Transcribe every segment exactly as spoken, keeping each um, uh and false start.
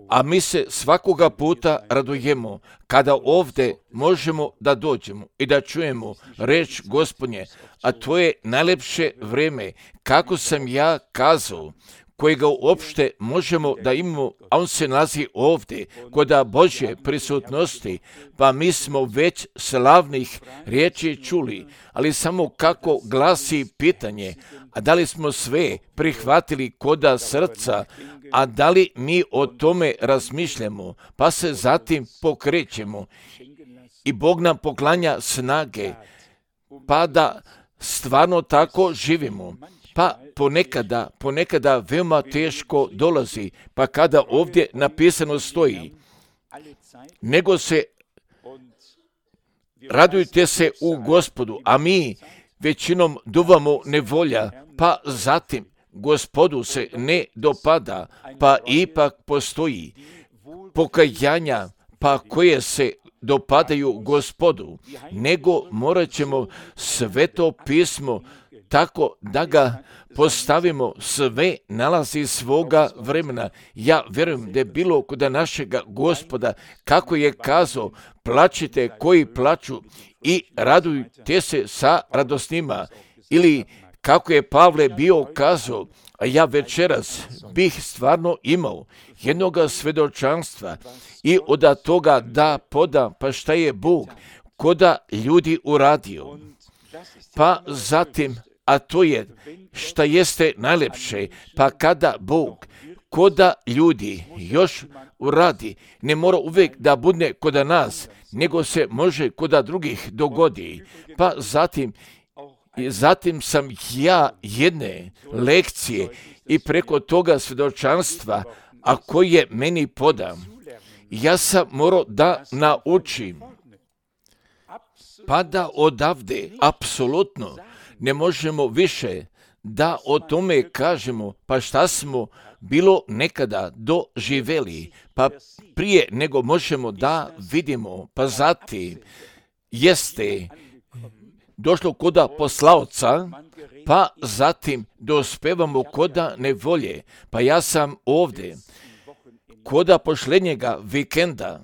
A mi se svakoga puta radujemo kada ovdje možemo da dođemo i da čujemo reč Gospodnje, a to je najlepše vrijeme, kako sam ja kazao, kojega uopšte možemo da imamo, a on se nalazi ovdje, kod Božje prisutnosti, pa mi smo već slavnih riječi čuli, ali samo kako glasi pitanje, a da li smo sve prihvatili koda srca, a da li mi o tome razmišljamo, pa se zatim pokrećemo i Bog nam poklanja snage, pa da stvarno tako živimo. Pa ponekada, ponekada veoma teško dolazi, pa kada ovdje napisano stoji, nego se radujte se u Gospodu, a mi većinom duvamo nevolja, pa zatim Gospodu se ne dopada, pa ipak postoji pokajanja, pa koje se dopadaju Gospodu, nego morat ćemo Sveto pismo tako da ga postavimo, sve nalazi svoga vremena. Ja vjerujem da je bilo kod našega Gospoda, kako je kazao, plačite koji plaču i radujte se sa radosnima. Ili kako je Pavle bio kazao, a ja večeras bih stvarno imao jednoga svedočanstva i od toga da podam, pa šta je Bog koda ljudi uradio. Pa zatim, a to je šta jeste najlepše, pa kada Bog koda ljudi još uradi, ne mora uvijek da bude koda nas, nego se može koda drugih dogodi. Pa zatim, zatim sam ja jedne lekcije i preko toga svjedočanstva, a koje meni podam, ja sam morao da naučim, pa da odavde apsolutno ne možemo više da o tome kažemo, pa šta smo bilo nekada doživeli, pa prije nego možemo da vidimo, pa zatim jeste došlo koda poslaoca, pa zatim dospevamo koda nevolje, pa ja sam ovdje koda pošlednjega vikenda,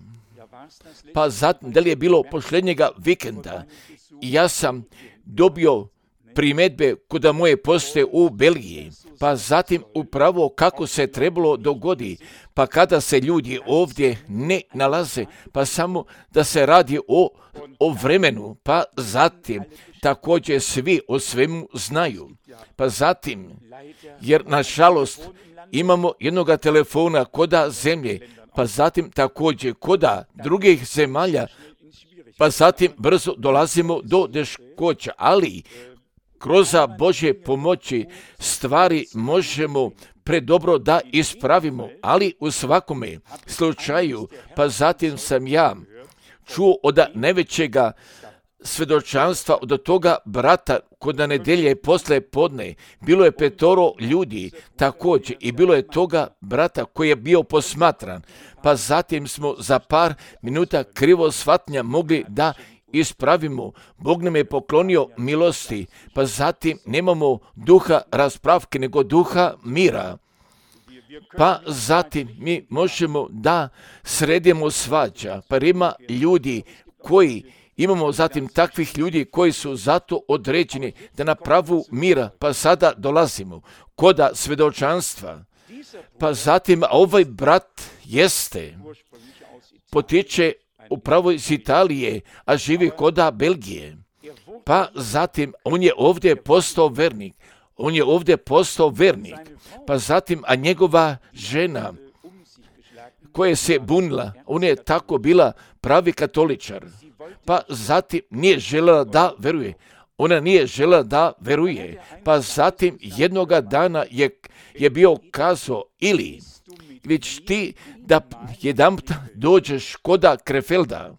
pa zatim da li je bilo pošlednjega vikenda, ja sam dobio primjedbe koda moje poste u Belgiji, pa zatim upravo kako se trebalo dogodi, pa kada se ljudi ovdje ne nalaze, pa samo da se radi o, o vremenu, pa zatim također svi o svemu znaju, pa zatim, jer nažalost imamo jednoga telefona koda zemlje, pa zatim također koda drugih zemalja, pa zatim brzo dolazimo do teškoća, ali kroz Božje pomoći stvari možemo predobro da ispravimo, ali u svakome slučaju, pa zatim sam ja čuo od najvećega svjedočanstva od toga brata kod nedelje posle podne, bilo je petoro ljudi također i bilo je toga brata koji je bio posmatran, pa zatim smo za par minuta krivo shvatnja mogli da ispravimo. Bog nam je poklonio milosti, pa zatim nemamo duha raspravke, nego duha mira. Pa zatim mi možemo da sredimo svađa, pa ima ljudi koji imamo zatim takvih ljudi koji su zato određeni da na pravu mira, pa sada dolazimo koda svedočanstva. Pa zatim ovaj brat jeste, potiče upravo iz Italije, a živi koda Belgije. Pa zatim on je ovdje postao vernik, on je ovdje postao vernik, pa zatim, a njegova žena koja se bunila, ona je tako bila pravi katoličar, pa zatim nije željela da veruje. Ona nije željela da veruje, pa zatim jednoga dana je, je bio kazao, ili već ti da jedan dođeš koda Krefelda,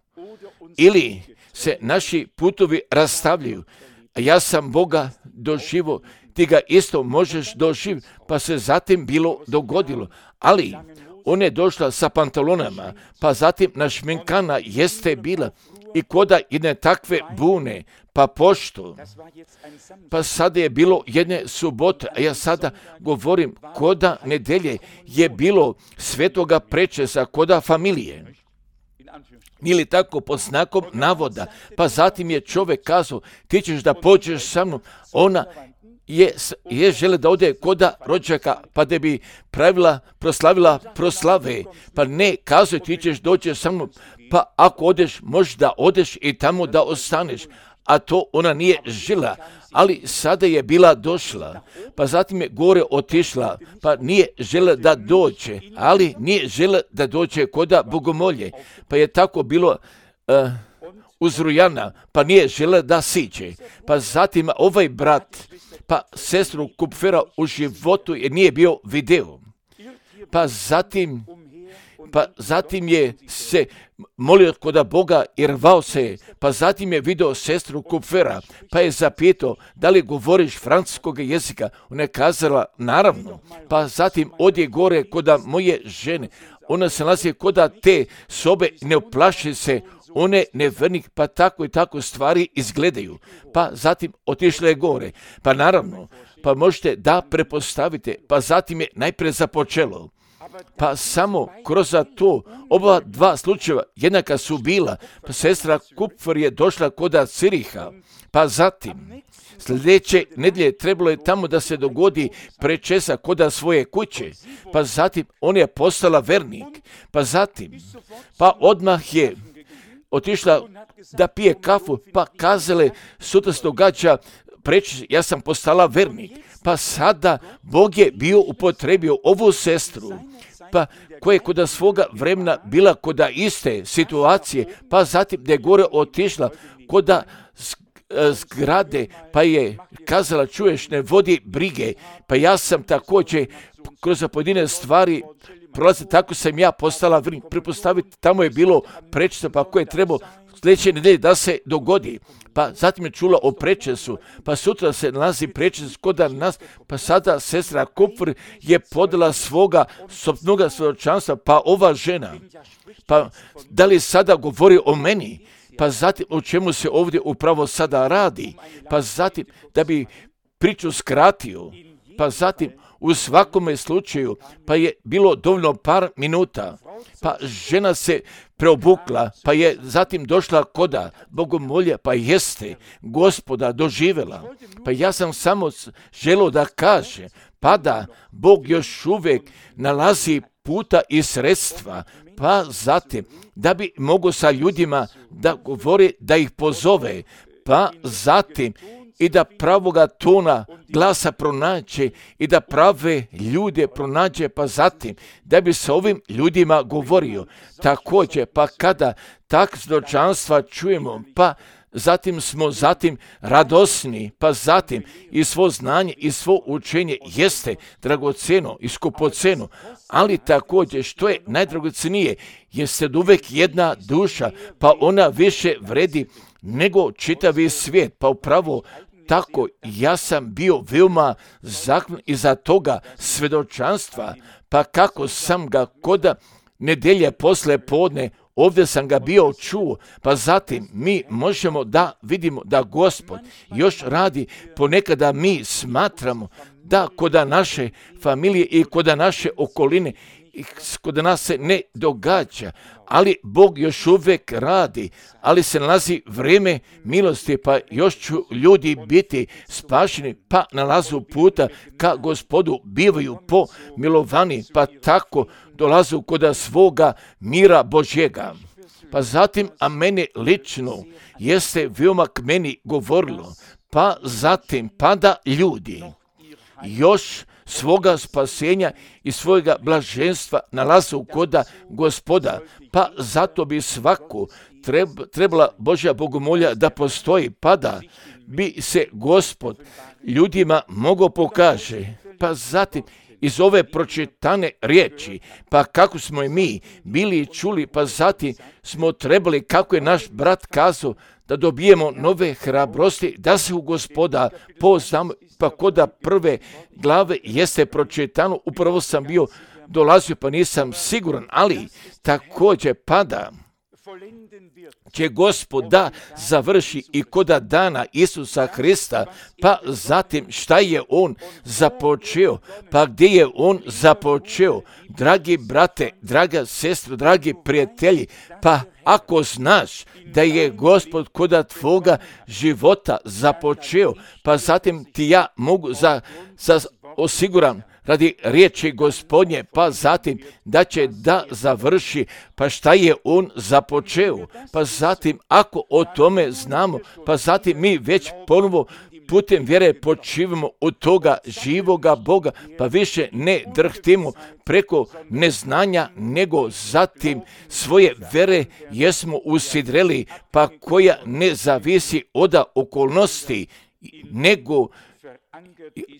ili se naši putovi rastavljaju, a ja sam Boga doživo, ti ga isto možeš doživjeti, pa se zatim bilo dogodilo, ali ona je došla sa pantalonama, pa zatim našminkana jeste bila i koda jedne takve bune, pa pošto, pa sada je bilo jedne subote, a ja sada govorim koda nedelje je bilo svetoga prečesa, koda familije. Nije li tako pod znakom navoda? Pa zatim je čovjek kazao, ti ćeš da pođeš sa mnom. Ona je, je žele da ode koda rođaka, pa da bi pravila, proslavila proslave. Pa ne, kazuje, ti ćeš doći sa mnom, pa ako odeš, možeš da odeš i tamo da ostaneš. A to ona nije žila, ali sada je bila došla, pa zatim je gore otišla, pa nije žela da dođe, ali nije žela da dođe koda bogomolje, pa je tako bilo uh, uzrujana, pa nije žela da siđe. Pa zatim ovaj brat, pa sestru Kupfera u životu je nije bio video, pa zatim, pa zatim je se molio koda Boga i rvao se, pa zatim je video sestru Kupfera, pa je zapitao da li govoriš francuskog jezika. Ona je kazala naravno, pa zatim odje gore koda moje žene, ona se nalazi koda te sobe, ne uplaši se, one nevernik, pa tako i tako stvari izgledaju. Pa zatim otišla je gore, pa naravno, pa možete da prepostavite, pa zatim je najprije započelo. Pa samo kroz to oba dva slučajeva jednaka su bila, pa sestra Kupfer je došla koda Ciriha, pa zatim sljedeće nedjelje trebalo je tamo da se dogodi prečesa koda svoje kuće, pa zatim on je postala vernik, pa zatim, pa odmah je otišla da pije kafu, pa kazale, sutra se događa prečes, ja sam postala vernik. Pa sada Bog je bio upotrebio ovu sestru, pa koja je koda svoga vremena bila koda iste situacije, pa zatim da je gore otišla koda zgrade, pa je kazala, čuješ, ne vodi brige, pa ja sam također kroz pojedine stvari prolazi, tako sam ja postala vernik. Prepostaviti, tamo je bilo prečeso, pa koje je trebalo sljedeće nedelje da se dogodi. Pa zatim je čula o prečesu, pa sutra se nalazi prečes koda nas, pa sada sestra Kupfer je podala svoga sopnoga svjedočanstva, pa ova žena, pa da li sada govori o meni, pa zatim o čemu se ovdje upravo sada radi, pa zatim da bi priču skratio, pa zatim u svakome slučaju, pa je bilo dovoljno par minuta, pa žena se preobukla, pa je zatim došla koda bogomolja, pa jeste Gospoda doživjela. Pa ja sam samo želio da kaže, pa da Bog još uvijek nalazi puta i sredstva, pa zatim da bi mogo sa ljudima da govori, da ih pozove, pa zatim i da pravoga tona glasa pronađe i da prave ljude pronađe, pa zatim da bi se ovim ljudima govorio. Također, pa kada tak svjedočanstva čujemo, pa zatim smo zatim radosni, pa zatim i svo znanje i svo učenje jeste dragoceno i skupoceno, ali također što je najdragocenije, jeste uvijek jedna duša, pa ona više vredi nego čitavi svijet, pa upravo tako ja sam bio veoma zahvalan iza toga svjedočanstva, pa kako sam ga koda nedelje posle podne, ovdje sam ga bio čuo, pa zatim mi možemo da vidimo da Gospod još radi, ponekada mi smatramo da koda naše familije i koda naše okoline i kod nas se ne događa, ali Bog još uvijek radi, ali se nalazi vrijeme milosti, pa još ću ljudi biti spašeni, pa nalazu puta ka Gospodu, bivaju pomilovani, pa tako dolazu koda svoga mira Božjega. Pa zatim, a meni lično jeste veoma k meni govorilo, pa zatim pada ljudi još svoga spasenja i svojega blaženstva nalazu koda Gospoda, pa zato bi svako trebala Božja bogomolja da postoji, pa da bi se Gospod ljudima mogao pokaže, pa zatim iz ove pročitane riječi, pa kako smo i mi bili čuli, pa zatim smo trebali, kako je naš brat kazao, da dobijemo nove hrabrosti, da se u Gospoda poznamo, pa koda prve glave jeste pročitano, upravo sam bio dolazio, pa nisam siguran, ali također pada će Gospod da završi i kod dana Isusa Hrista, pa zatim šta je On započeo, pa gdje je On započeo, dragi brate, draga sestra, dragi prijatelji, pa ako znaš da je Gospod kod tvoga života započeo, pa zatim ti ja mogu za, za osiguram radi riječi Gospodnje, pa zatim da će da završi, pa šta je On započeo, pa zatim ako o tome znamo, pa zatim mi već ponovo putem vjere počivamo od toga živoga Boga, pa više ne drhtimo preko neznanja, nego zatim svoje vjere jesmo usidreli, pa koja ne zavisi od okolnosti, nego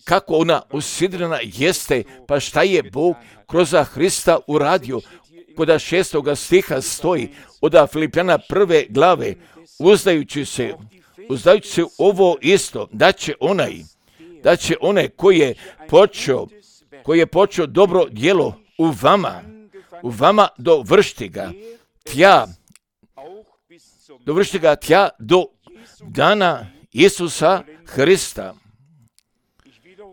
kako ona usidrena jeste, pa šta je Bog kroz Hrista uradio. Kod šestoga stiha stoji od Filipljana prve glave, uzdajući se, uzdajući se ovo isto, da će onaj, da će onaj koji je počeo, koji je počeo dobro djelo u vama, u vama dovršiti ga, tja, dovršiti ga tja do dana Isusa Hrista.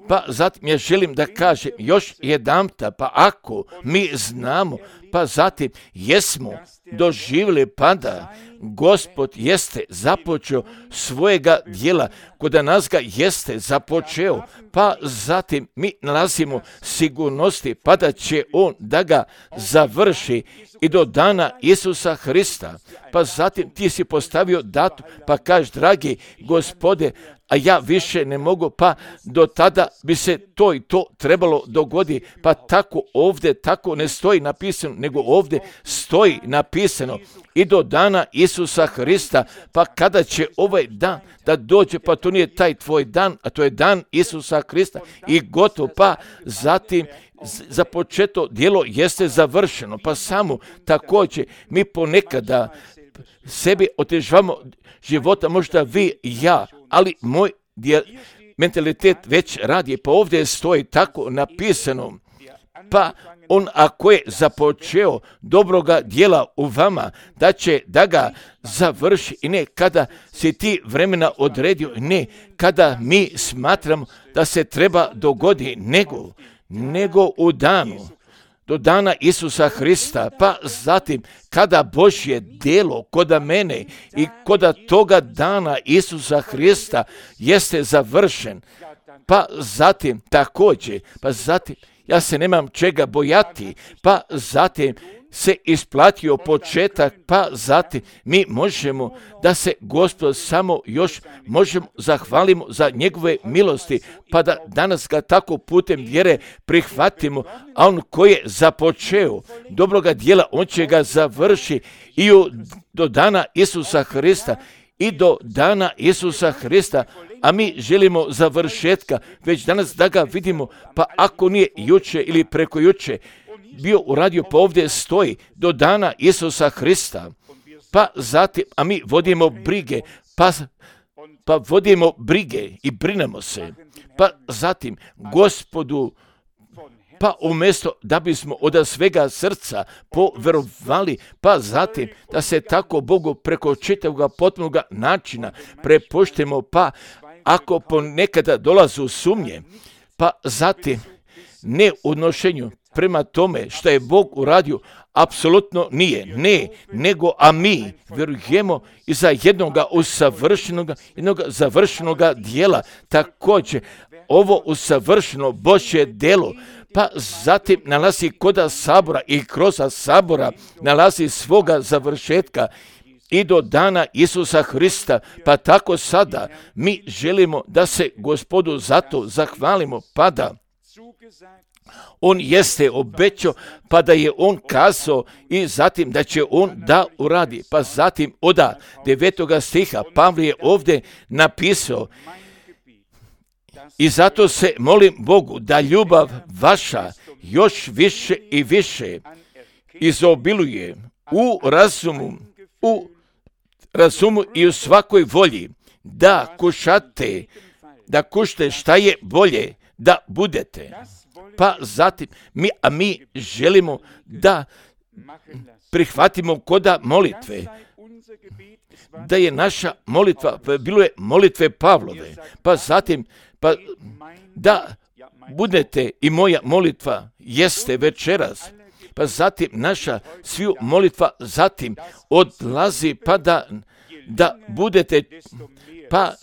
Pa zatim ja želim da kažem još jedanputa, pa ako mi znamo, pa zatim jesmo doživjeli pada, Gospod jeste započeo svojega djela, kod nas ga jeste započeo, pa zatim mi nalazimo sigurnosti, pa da će On da ga završi i do dana Isusa Hrista. Pa zatim ti si postavio datum, pa kažeš, dragi Gospode, a ja više ne mogu, pa do tada bi se to i to trebalo dogoditi, pa tako ovdje, tako ne stoji napisano, nego ovdje stoji napisano i do dana Isusa Hrista, pa kada će ovaj dan da dođe, pa to nije taj tvoj dan, a to je dan Isusa Hrista i gotovo, pa zatim započeto djelo jeste završeno, pa samo također mi ponekada sebi otežavamo života, možda vi i ja, ali moj djel, mentalitet već radi, pa ovdje stoji tako napisano, pa On ako je započeo dobroga djela u vama, da će da ga završi, i ne kada si ti vremena odredio, ne kada mi smatramo da se treba dogodi, nego, nego u danu, do dana Isusa Hrista, pa zatim kada Božje djelo koda mene i koda toga dana Isusa Hrista jeste završen, pa zatim također, pa zatim ja se nemam čega bojati, pa zatim se isplatio početak, pa zatim mi možemo da se Gospod samo još možemo zahvalimo za njegove milosti, pa da danas ga tako putem vjere prihvatimo, a On koji je započeo dobroga djela, On će ga završi i do dana Isusa Hrista, i do dana Isusa Hrista, a mi želimo završetka, već danas da ga vidimo, pa ako nije juče ili preko juče bio uradio, pa ovdje stoji do dana Isusa Hrista, pa zatim, a mi vodimo brige, pa, pa vodimo brige i brinemo se, pa zatim Gospodu, pa umjesto da bismo od svega srca poverovali, pa zatim da se tako Bogu preko čitavog potpunog načina prepuštimo, pa ako ponekada dolazu sumnje, pa zatim ne u odnošenju prema tome što je Bog uradio, apsolutno nije, ne, nego a mi vjerujemo i za jednoga usavršenog, jednog završenog djela, također ovo usavršeno Božje djelo, pa zatim nalazi koda sabora i kroz sabora nalazi svoga završetka i do dana Isusa Hrista, pa tako sada mi želimo da se Gospodu zato zahvalimo, pa da On jeste obećao, pa da je On kazao i zatim da će On da uradi, pa zatim od devetoga stiha Pavle je ovdje napisao, i zato se molim Bogu da ljubav vaša još više i više izobiluje u razumu, u razumu i u svakoj volji, da kušate, da kušate šta je bolje da budete. Pa zatim, mi, a mi želimo da prihvatimo koda molitve, da je naša molitva, bilo je molitve Pavlove, pa zatim, pa da budete i moja molitva jeste večeras, pa zatim naša sviju molitva zatim odlazi, pa da, da budete, pa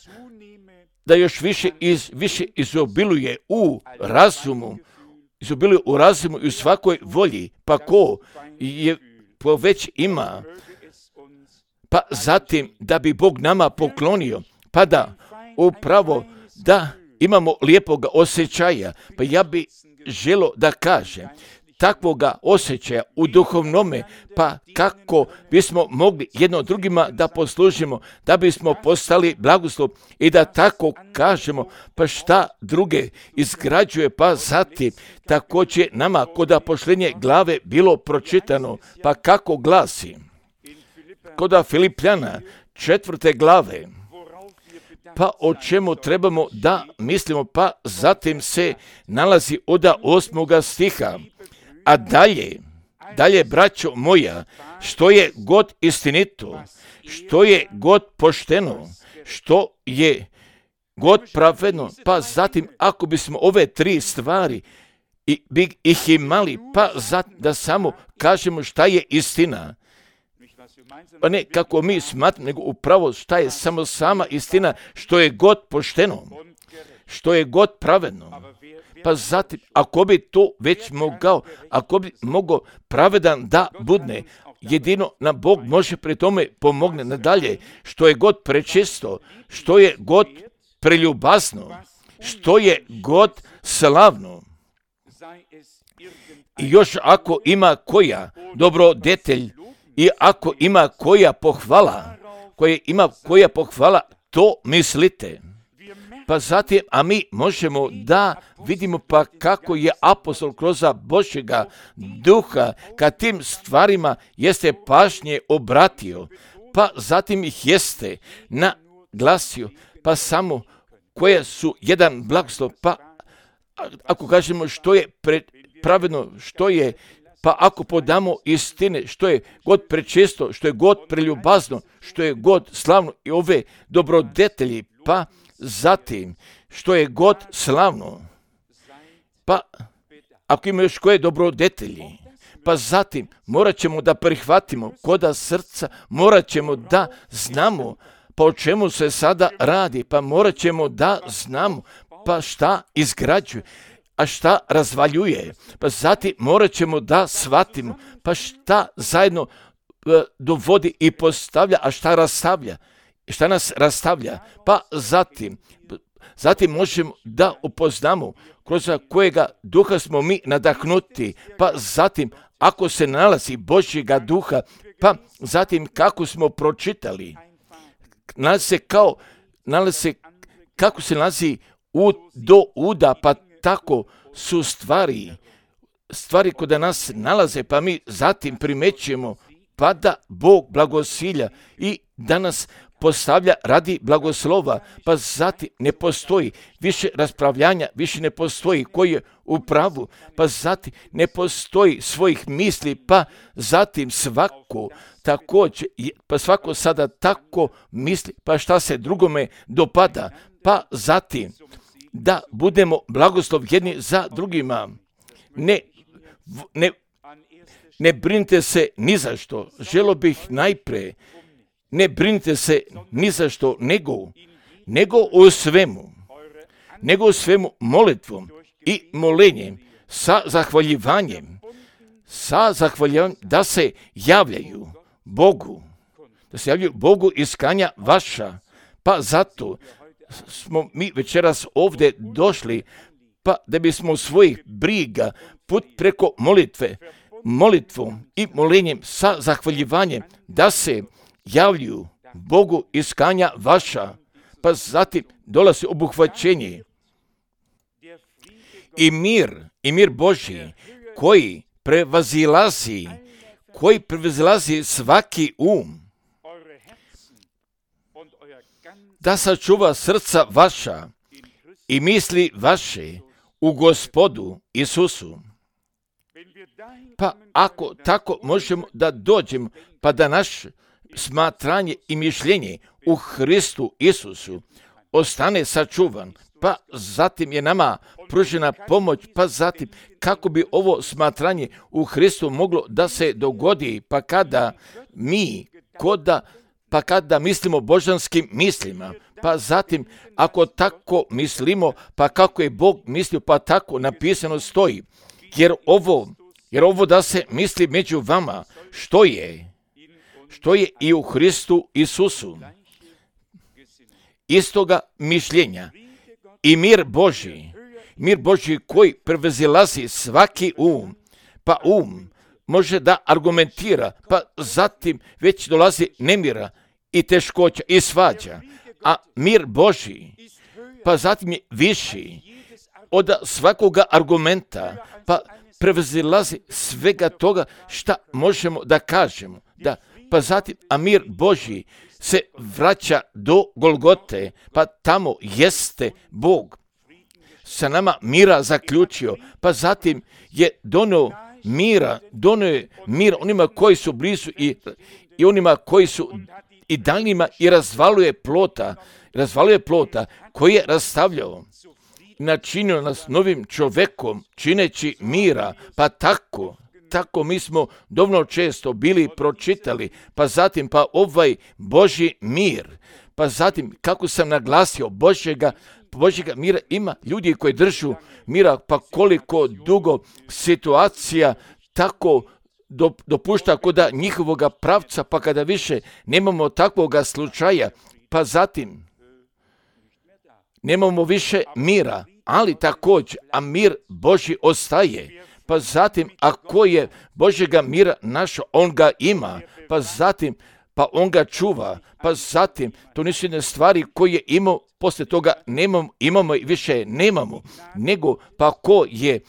da još više, iz, više izobiluje u razumu, izobiluje u razumu i u svakoj volji, pa ko je ko već ima, pa zatim da bi Bog nama poklonio, pa da upravo da imamo lijepoga osjećaja, pa ja bi želo da kažem, takvoga osjećaja u duhovnome, pa kako bismo mogli jedno drugima da poslužimo, da bismo postali blagoslov i da tako kažemo, pa šta druge izgrađuje, pa zatim također nama koda pošlenje glave bilo pročitano, pa kako glasi, koda Filipljana četvrte glave, pa o čemu trebamo da mislimo, pa zatim se nalazi od osmoga stiha, a dalje, dalje, braćo moja, što je god istinito, što je god pošteno, što je god pravedno, pa zatim ako bismo ove tri stvari i bi ih imali, pa zatim da samo kažemo šta je istina, pa ne kako mi smatramo, nego upravo šta je samo sama istina, što je god pošteno, što je god pravedno. Pa zatim, ako bi to već mogao, ako bi mogao pravedan da budne, jedino nam Bog može pri tome pomogne nadalje, što je god prečisto, što je god preljubazno, što je god slavno. I još ako ima koja dobrodetelj i ako ima koja pohvala, koje ima koja pohvala, to mislite. Pa zatim, a mi možemo da vidimo pa kako je apostol kroz Božjega duha kad tim stvarima jeste pažnje obratio, pa zatim ih jeste naglasio, pa samo koje su jedan blagoslov, pa ako kažemo što je pravedno, što je, pa ako podamo istine, što je god prečisto, što je god preljubazno, što je god slavno i ove dobrodetelji, pa zatim, što je god slavno, pa ako ima još koje dobrodetelji, pa zatim morat ćemo da prihvatimo koda srca, morat ćemo da znamo pa o čemu se sada radi, pa morat ćemo da znamo pa šta izgrađuje, a šta razvaljuje, pa zatim morat ćemo da shvatimo pa šta zajedno e, dovodi i postavlja, a šta rastavlja. Šta nas rastavlja, pa zatim, zatim možemo da upoznamo kroz kojega duha smo mi nadahnuti, pa zatim ako se nalazi Božjega duha, pa zatim kako smo pročitali, nalazi se kao, nalazi se kako se nalazi ud do uda, pa tako su stvari, stvari kod nas nalaze, pa mi zatim primećujemo, pa da Bog blagosilja i da nas postavlja radi blagoslova, pa zatim ne postoji više raspravljanja, više ne postoji koji je u pravu, pa zatim ne postoji svojih misli, pa zatim svako također, pa svako sada tako misli, pa šta se drugome dopada, pa zatim da budemo blagoslov jedni za drugima. Ne, ne, ne brinite se ni za što, želo bih najpre, ne brinite se ni za što, nego, nego u svemu, nego u svemu molitvom i molenjem, sa zahvaljivanjem, sa zahvaljivanjem da se javljaju Bogu, da se javljaju Bogu iskanja vaša, pa zato smo mi večeras ovdje došli, pa da bismo svojih briga put preko molitve, molitvom i molenjem sa zahvaljivanjem da se javljuju Bogu iskanja vaša, pa zatim dolazi obuhvaćenje i mir, i mir Božji koji prevazilazi, koji prevazilazi svaki um, da sačuva srca vaša i misli vaše u Gospodu Isusu. Pa ako tako možemo da dođemo, pa da naš smatranje i mišljenje u Hristu Isusu ostane sačuvan, pa zatim je nama pružena pomoć, pa zatim kako bi ovo smatranje u Hristu moglo da se dogodi, pa kada mi, koda, pa kada mislimo božanskim mislima, pa zatim ako tako mislimo, pa kako je Bog mislio, pa tako napisano stoji, jer ovo, jer ovo da se misli među vama, što je, što je i u Hristu Isusu, istoga mišljenja i mir Božji, mir Božji koji prevazilazi svaki um, pa um može da argumentira, pa zatim već dolazi nemira i teškoća i svađa, a mir Božji, pa zatim je viši od svakoga argumenta, pa prevazilazi svega toga šta možemo da kažemo, da, pa zatim, a mir Božji se vraća do Golgote, pa tamo jeste Bog sa nama mira zaključio, pa zatim je donio mira, donio je mir onima koji su blizu i, i onima koji su i daljnjima i razvaluje plota, razvaluje plota koji je rastavljao, načinio nas novim čovekom, čineći mira, pa tako, tako mi smo dovoljno često bili pročitali, pa zatim pa ovaj Božji mir, pa zatim kako sam naglasio Božjega, Božjega mira ima ljudi koji držu mira, pa koliko dugo situacija tako dopušta koda njihovoga pravca, pa kada više nemamo takvoga slučaja, pa zatim nemamo više mira, ali također, a mir Božji ostaje. Pa zatim, ako je Božjega mira našo, on ga ima, pa zatim, pa on ga čuva, pa zatim, to nisu jedne stvari koje imamo, poslije toga nemamo, imamo i više nemamo, nego pa ko je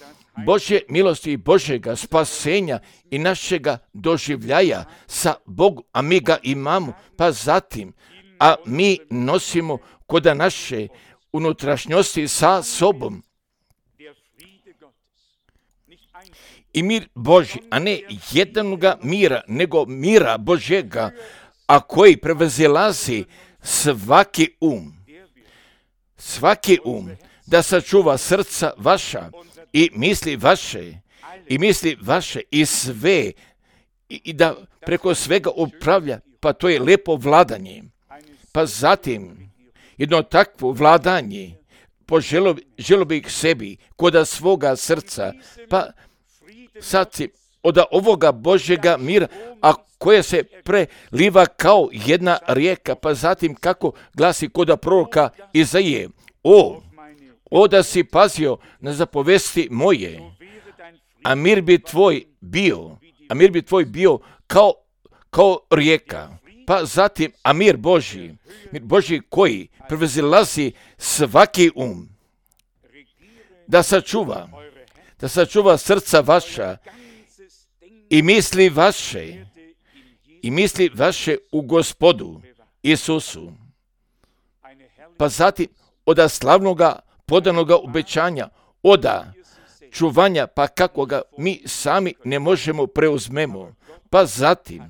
Božje milosti i Božjega spasenja i našega doživljaja sa Bogom, a mi ga imamo, pa zatim, a mi nosimo koda naše unutrašnjosti sa sobom. I mir Božji, a ne jednoga mira, nego mira Božjega, a koji prevazilazi svaki um. Svaki um, da sačuva srca vaša i misli vaše, i misli vaše i sve, i, i da preko svega upravlja, pa to je lepo vladanje. Pa zatim, jedno takvo vladanje, poželo želo bih sebi, koda svoga srca, pa zatim, od ovoga Božjega mira, a koja se preliva kao jedna rijeka, pa zatim kako glasi koda proroka Izaije, o, o da si pazio na zapovesti moje, a mir bi tvoj bio, a mir bi tvoj bio kao, kao rijeka, pa zatim, a mir Božji, mir Božji koji prevazilazi svaki um, da sačuva, da sačuva srca vaša i misli vaše, i misli vaše u Gospodu Isusu. Pa zatim, oda slavnoga podanoga obećanja, oda čuvanja, pa kako ga mi sami ne možemo preuzmemo. Pa zatim,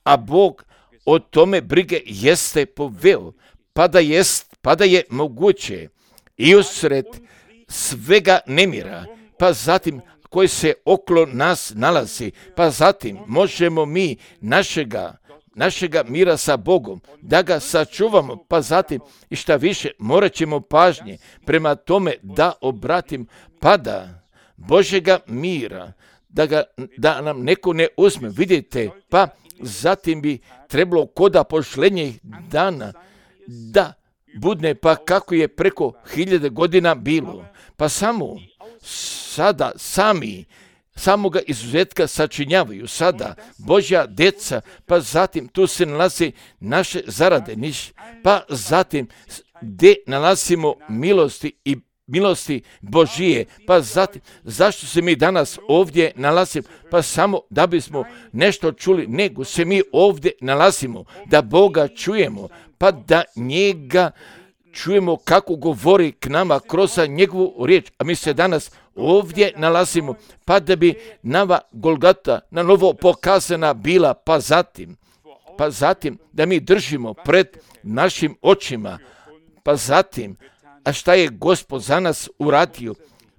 a Bog o tome brige jeste poveo, pa da jest, pa da je moguće i usred svega nemira, pa zatim koji se okolo nas nalazi, pa zatim možemo mi našega, našega mira sa Bogom, da ga sačuvamo, pa zatim i šta više, morat ćemo pažnje prema tome da obratim, pa da Božjega mira, da, ga, da nam neko ne uzme, vidite, pa zatim bi trebalo koda pošlenjih dana da budne, pa kako je preko hiljade godina bilo, pa samo sada sami samoga izuzetka sačinjavaju sada Božja deca, pa zatim tu se nalazi naše zarade, niš, pa zatim gdje nalazimo milosti i milosti Božije, pa zatim zašto se mi danas ovdje nalazimo, pa samo da bismo nešto čuli, nego se mi ovdje nalazimo, da Boga čujemo, pa da njega čujemo kako govori k nama kroz njegovu riječ, a mi se danas ovdje nalazimo, pa da bi nova Golgota na novo pokazana bila, pa zatim, pa zatim da mi držimo pred našim očima, pa zatim, a šta je Gospod za nas uradio,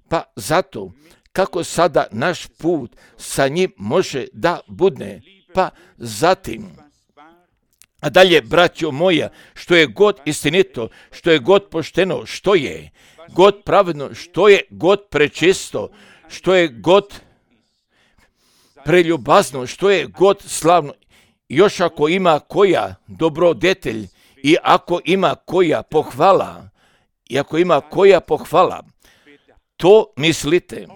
pa zato kako sada naš put sa njim može da bude, pa zatim, a dalje, braćo moja, što je god istinito, što je god pošteno, što je god pravedno, što je god prečisto, što je god preljubazno, što je god slavno, još ako ima koja dobrodetelj i ako ima koja pohvala, i ako ima koja pohvala, to mislite.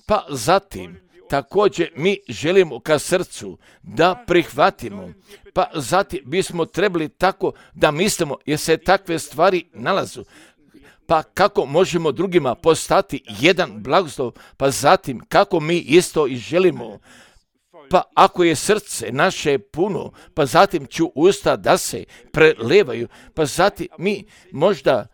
Pa zatim, također mi želimo ka srcu da prihvatimo, pa zatim bismo trebali tako da mislimo, jer se takve stvari nalazu. Pa kako možemo drugima postati jedan blagoslov, pa zatim kako mi isto i želimo. Pa ako je srce naše puno, pa zatim ću usta da se prelevaju, pa zatim mi možda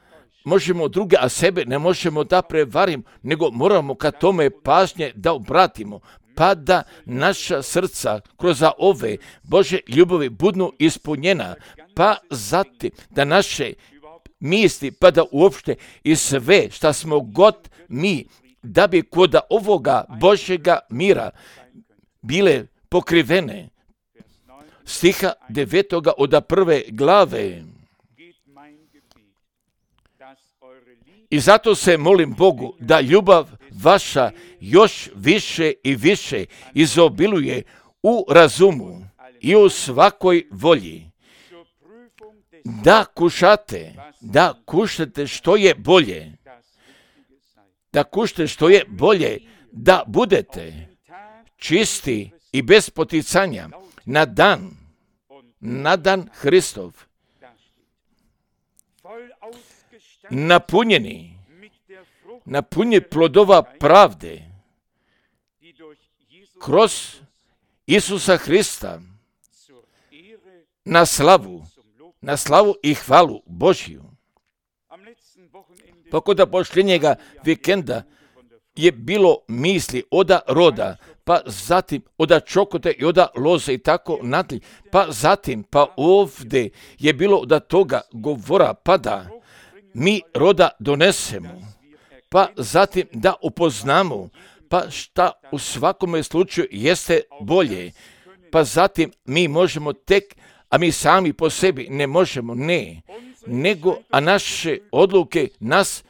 možemo druge, a sebe ne možemo da prevarimo, nego moramo ka tome pažnje da obratimo, pa da naša srca kroz ove Bože ljubavi budu ispunjena, pa zatim da naše misli, pa da uopšte i sve šta smo god mi, da bi kod ovoga Božjega mira bile pokrivene. Stiha devetoga od prve glave. I zato se molim Bogu da ljubav vaša još više i više izobiluje u razumu i u svakoj volji. Da kušate, da kušate što je bolje, da kušate što je bolje, da budete čisti i bez poticanja na dan, na dan Hristov, napunjeni, napunjeni plodova pravde kroz Isusa Hrista na slavu, na slavu i hvalu Božju. Pa kod posljednjega vikenda je bilo misli oda roda, pa zatim oda čokote i oda loze i tako nadalje, pa zatim, pa ovdje je bilo da toga govora, pa da mi roda donesemo, pa zatim da upoznamo, pa šta u svakome slučaju jeste bolje, pa zatim mi možemo tek, a mi sami po sebi ne možemo, ne, nego, a naše odluke nas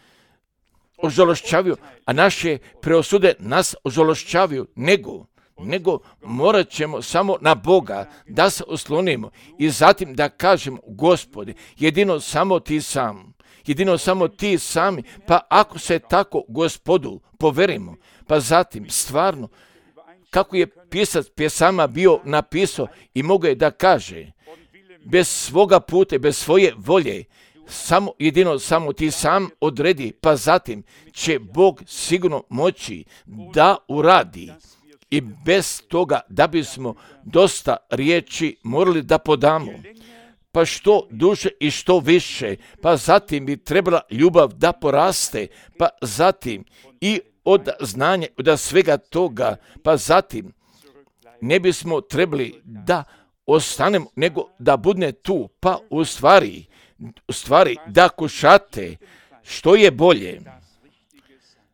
ožalošćavaju, a naše preosude nas ožalošćavaju, nego, nego morat ćemo samo na Boga da se oslonimo i zatim da kažemo, Gospode, jedino samo ti sam, jedino samo ti sami, pa ako se tako Gospodu poverimo, pa zatim stvarno, kako je pisac pjesama bio napisao i mogao je da kaže, bez svoga puta, bez svoje volje, samo jedino samo ti sam odredi, pa zatim će Bog sigurno moći da uradi. I bez toga da bismo dosta riječi morali da podamo, pa što duže i što više, pa zatim bi trebala ljubav da poraste, pa zatim i od znanja, od svega toga, pa zatim ne bismo trebali da ostanemo, nego da budne tu, pa u stvari, u stvari da kušate što je bolje,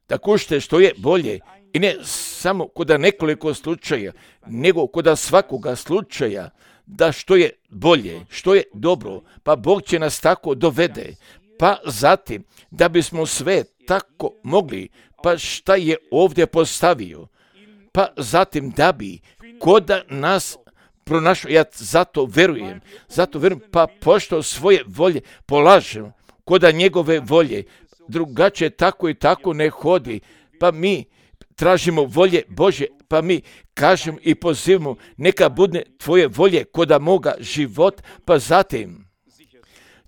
da kušate što je bolje i ne samo kod nekoliko slučaja, nego kod svakoga slučaja, da što je bolje, što je dobro, pa Bog će nas tako dovede, pa zatim da bismo sve tako mogli, pa šta je ovdje postavio, pa zatim da bi kod nas pronašao, ja zato verujem, zato verujem, pa pošto svoje volje polažem kod njegove volje, drugačije tako i tako ne hodi, pa mi tražimo volje Bože, pa mi kažemo i pozivamo, neka bude tvoje volje kod moga života, pa zatim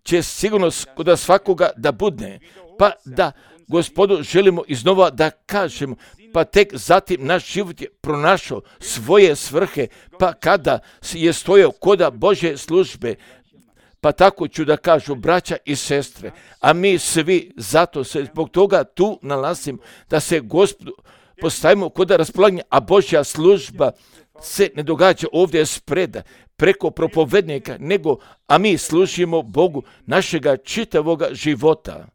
će sigurno kod svakoga da bude, pa da Gospodu želimo iznova da kažemo, pa tek zatim naš život je pronašao svoje svrhe, pa kada je stojao kod Božje službe, pa tako ću da kažu braća i sestre, a mi svi zato se zbog toga tu nalazimo, da se Gospodu postavimo kod raspolaganja, a Božja služba se ne događa ovdje spreda, preko propovednika, nego, a mi služimo Bogu našega čitavoga života.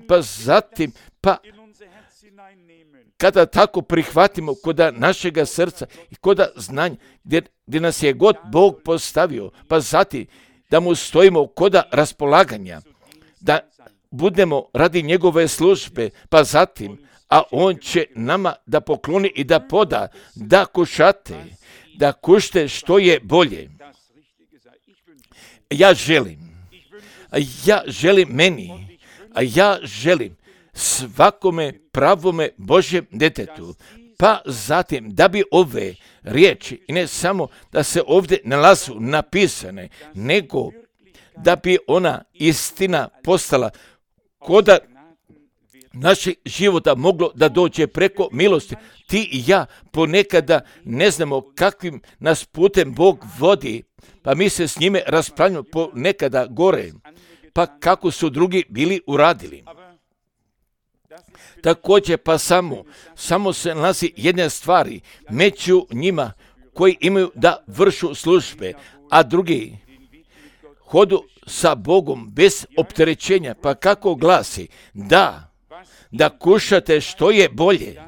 Pa zatim, pa kada tako prihvatimo koda našega srca i koda znanja, gdje, gdje nas je god Bog postavio, pa zatim da mu stojimo koda raspolaganja, da budemo radi njegove službe, pa zatim, a on će nama da pokloni i da poda, da kušate, da kušte što je bolje. Ja želim, ja želim meni, a ja želim svakome pravome Božjem djetetu, pa zatim da bi ove riječi, i ne samo da se ovdje nalazu napisane, nego da bi ona istina postala koda našeg života moglo da dođe preko milosti. Ti i ja ponekada ne znamo kakvim nas putem Bog vodi, pa mi se s njime raspravljamo ponekada gore, pa kako su drugi bili uradili. Također pa samo, samo se nalazi jedne stvari među njima koji imaju da vršu službe, a drugi hodu sa Bogom bez opterećenja, pa kako glasi, da, da kušate što je bolje,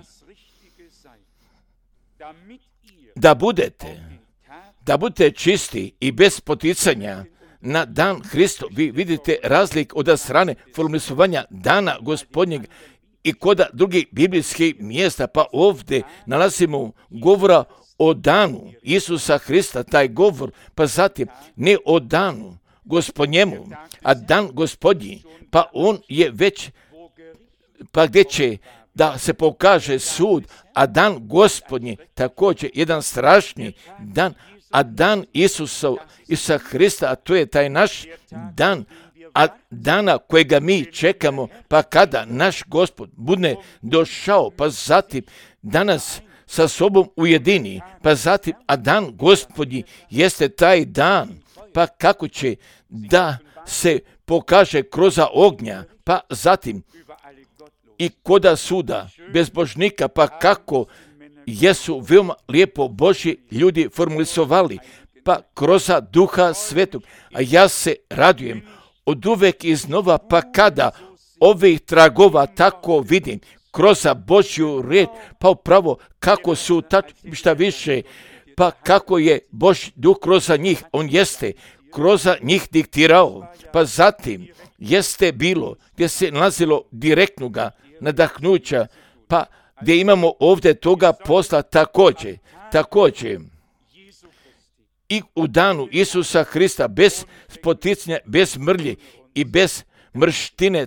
da budete, da budete čisti i bez poticanja na dan Hristo. Vi vidite razlik od strane formulisovanja dana Gospodnjeg i kod drugih biblijskih mjesta, pa ovdje nalazimo govora o danu Isusa Hrista, taj govor, pa zatim ne o danu Gospodnjemu, a dan Gospodnji, pa on je već, pa gdje će da se pokaže sud, a dan Gospodnji također jedan strašni dan, a dan Isusa, Isusa Hrista, a to je taj naš dan, a dana kojega mi čekamo, pa kada naš Gospod bude došao, pa zatim danas sa sobom ujedini, pa zatim, a dan Gospodnji jeste taj dan, pa kako će da se pokaže kroz ognja, pa zatim i koda suda bezbožnika, pa kako jesu veoma lijepo Božji ljudi formulisovali, pa kroz Duha Svetog, a ja se radujem od uvek iznova, pa kada ovih tragova tako vidim, kroz Božju riječ, pa upravo kako su tačno, šta više, pa kako je Božji duh kroz njih, on jeste kroz njih diktirao, pa zatim jeste bilo gdje se nalazilo direktnoga nadahnuća, pa gdje imamo ovdje toga posla također, također i u danu Isusa Hrista bez spoticanja, bez mrlje i bez mrštine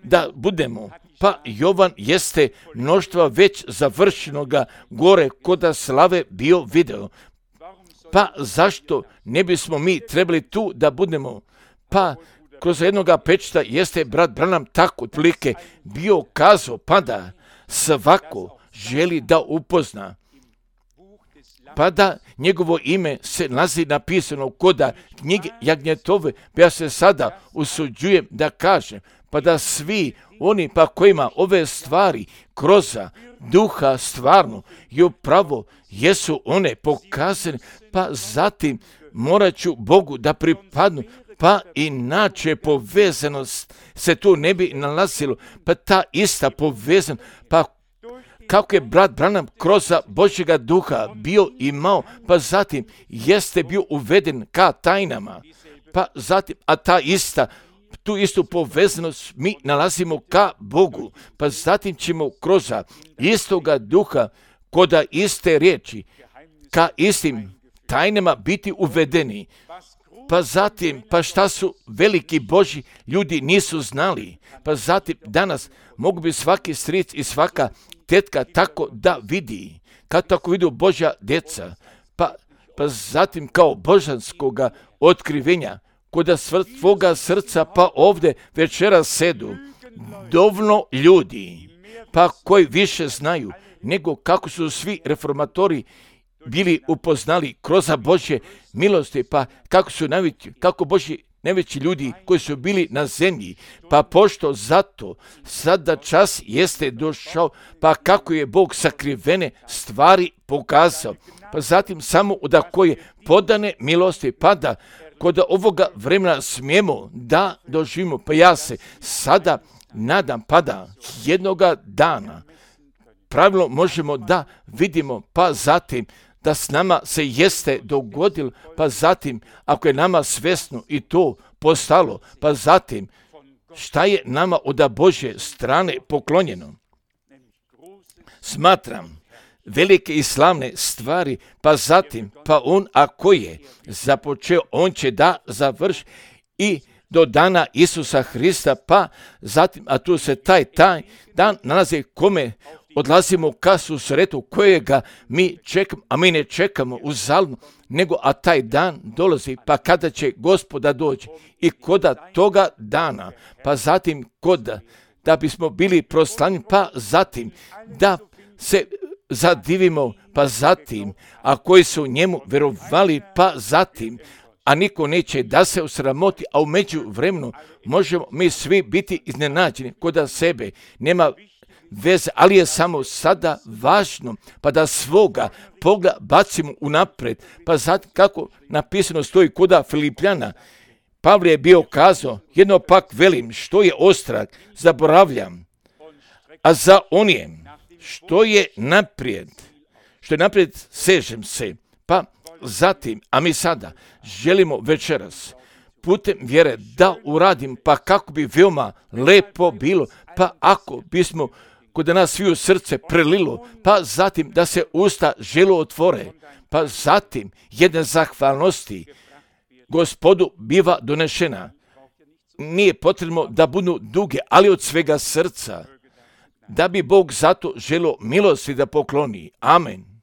da budemo. Pa Jovan jeste mnoštva već završenoga gore koda slave bio video. Pa zašto ne bismo mi trebali tu da budemo? Pa kroz jednoga pečta jeste brat Branham tako otprilike bio kazao, pa da svako želi da upozna, pa da njegovo ime se nalazi napisano koda knjige Jagnjetove, pa ja se sada usuđujem da kažem, pa da svi oni pa kojima ove stvari kroz duha stvarno i upravo jesu one pokazane, pa zatim morat ću Bogu da pripadnu, pa inače povezanost se tu ne bi nalazilo, pa ta ista povezanost, pa kako je brat Branham kroz Božjega duha bio imao, pa zatim jeste bio uveden ka tajnama, pa zatim, a ta ista, tu istu povezanost mi nalazimo ka Bogu, pa zatim ćemo kroz istoga duha, koda iste riječi, ka istim tajnama biti uvedeni. Pa zatim, pa šta su veliki Božji ljudi nisu znali, pa zatim danas mogu bi svaki stric i svaka tetka tako da vidi, kad tako vidu Božja djeca, pa, pa zatim kao božanskoga otkrivenja, koda svoga srca, pa ovdje večera sedu dovoljno ljudi, pa koji više znaju nego kako su svi reformatori bili upoznali kroz Božje milosti, pa kako su najveći, kako Božji najveći ljudi koji su bili na zemlji, pa pošto zato sada čas jeste došao, pa kako je Bog sakrivene stvari pokazao, pa zatim samo da koje podane milosti pada, kod ovoga vremena smijemo da doživimo, pa ja se sada nadam pada jednoga dana. Pravilno možemo da vidimo, pa zatim da s nama se jeste dogodilo, pa zatim ako je nama svesno i to postalo, pa zatim šta je nama od Božje strane poklonjeno. Smatram velike i slavne stvari, pa zatim, pa on ako je započeo, on će da završi i do dana Isusa Hrista, pa zatim, a tu se taj, taj dan nalazi kome odlazimo ka susretu kojega mi čekamo, a mi ne čekamo uzaludno, nego a taj dan dolazi, pa kada će Gospoda doći i koda toga dana, pa zatim koda da bismo bili proslavljeni, pa zatim da se zadivimo, pa zatim, a koji su njemu verovali, pa zatim, a niko neće da se osramoti, a u međuvremenu možemo mi svi biti iznenađeni koda sebe, nema veze, ali je samo sada važno, pa da svoga pogleda bacimo unapred, pa zatim kako napisano stoji koda Filipljana, Pavle je bio kazao, jedno pak velim, što je ostrah, zaboravljam, a za onije što je naprijed, što je naprijed sežem se, pa zatim, a mi sada želimo večeras putem vjere da uradim, pa kako bi veoma lepo bilo, pa ako bismo kod nas sviju srce prelilo, pa zatim da se usta želo otvore, pa zatim jedne zahvalnosti Gospodu biva donešena. Nije potrebno da budu duge, ali od svega srca, da bi Bog zato želo milosti da pokloni. Amen.